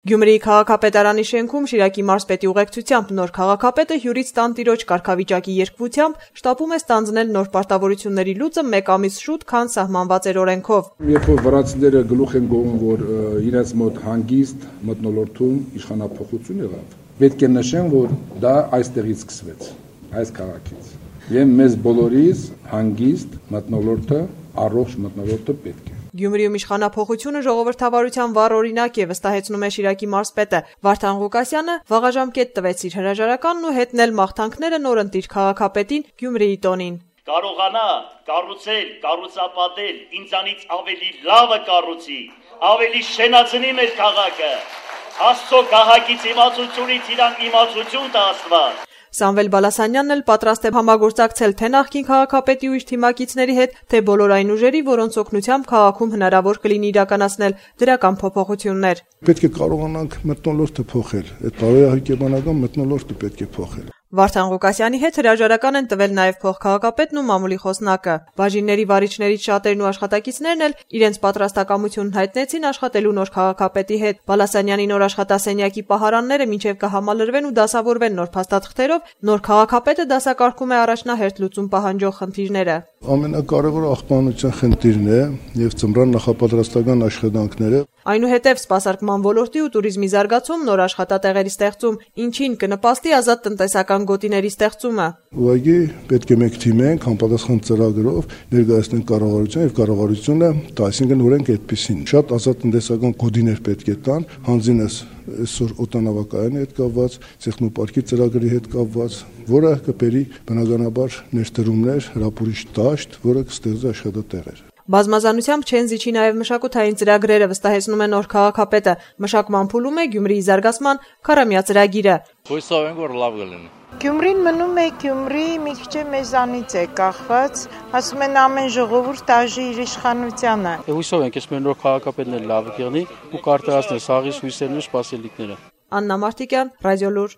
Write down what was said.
Գյումրիի քաղաքապետարանի շենքում Շիրակի մարզպետի ուղեկցությամբ նոր քաղաքապետը հյուրից տանտիրոջ կարգավիճակի երկվությամբ շտապում է ստանձնել նոր պարտավորությունների լուծը 1 ամիս շուտ, քան սահմանված էր օրենքով։ Երբ որ վրացիները գլուխ են գովում, որ իրենց մոտ հանգիստ մթնոլորտում իշխանափոխություն եղավ, պետք է նշեմ, որ դա այստեղից սկսվեց, այս քաղաքից։ Եվ մեզ բոլորիս հանգիստ մթնոլորտը, առողջ մթնոլորտը պետք է։ Գյումրիում իշխանափոխությունը ժողովրդավարության վառ օրինակ է, վստահեցնում է Շիրակի մարզպետը։ Վարդան Ղուկասյանը վաղաժամկետ տվեց իր հրաժարականն ու հետնել մաղթանքները նորընտիր քաղաքապետին Գյումրիի տոնին։ Կարողանա կառուցել, կառուցապատել, ինձանից ավելի լավը կառուցի, ավելի շենացնի մեր քաղաքը։ Աստծո քաղաքից իմացությունից իրան իմացություն տա Աստված։ Սամվել Բալասանյանն էլ պատրաստ է համագործակցել թե նախկին քաղաքապետի ու իր թիմակիցների հետ, թե բոլոր այն ուժերի, որոնց օգնությամբ քաղաքում հնարավոր կլինի իրականացնել դրական փոփոխություններ։ Պետք է կարողանանք մթնոլորտը փոխել, այդ բարոյահոգեբանական մթնոլորտը պետք է փոխել։ Վարդան Ղուկասյանի հետ հրաժարական են տվել նաև փոխքաղաքապետն ու մամուլի խոսնակը։ Բաժինների վարիչներից շատերն ու աշխատակիցներն էլ իրենց պատրաստակամությունն հայտնեցին աշխատելու նոր քաղաքապետի հետ։ Բալասանյանի նոր աշխատասենյակի պահարանները մինչև կհամալրվեն ու դասավորվեն նոր փաստաթղթերով, նոր քաղաքապետը դասակարգում է առաջնահերթ լուծում պահանջող խնդիրները։ Ամենակարևորը աղբանության խնդիրն է եւ ծմրան նախապատրաստական աշխատանքները։ Այնուհետև սպասարկման ոլորտի ու туриզմի զարգացում, նոր աշխատատեղերի ստեղծում, ինչին կնպաստի ազատ տնտեսական գոտիների ստեղծումը։ Ուղղակի պետք է մեկ թիմենք, համապատասխան ծրագրով ներկայացնենք կառավարության եւ կառավարությունը, այսինքն օրենք այդպեսին։ Շատ ազատ տնտեսական գոտիներ պետք է տան, հանձինս այսօր օտանավակայանի հետ կապված, տեխնոպարկի ծրագրի հետ կապված, որը կբերի բնականաբար ներդրումներ, հրապուրիչ դաշտ, որը կստեղծի աշխատատեղեր։ Բազմազանությամբ չեն զիջի նաև մշակութային ծրագրերը, վստահեցնում է նոր քաղաքապետը։ Մշակման փուլում է Գյումրիի զարգացման քառամյա ծրագիրը։ Հույսով ենք, որ լավ կլինի։ Գյումրին մնում է Գյումրի, մի քիչ մեզանից է կախված, ասում են ամեն ժողովուրդ տաժի իր իշխանությանը։ Հույսով ենք, ես մեր նոր քաղաքապետն էլ լավ կլինի ու կարտահայտել սաղից հույսերն ու սպասելիքները։ Աննա Մարտիկյան, Ռադիոլուր։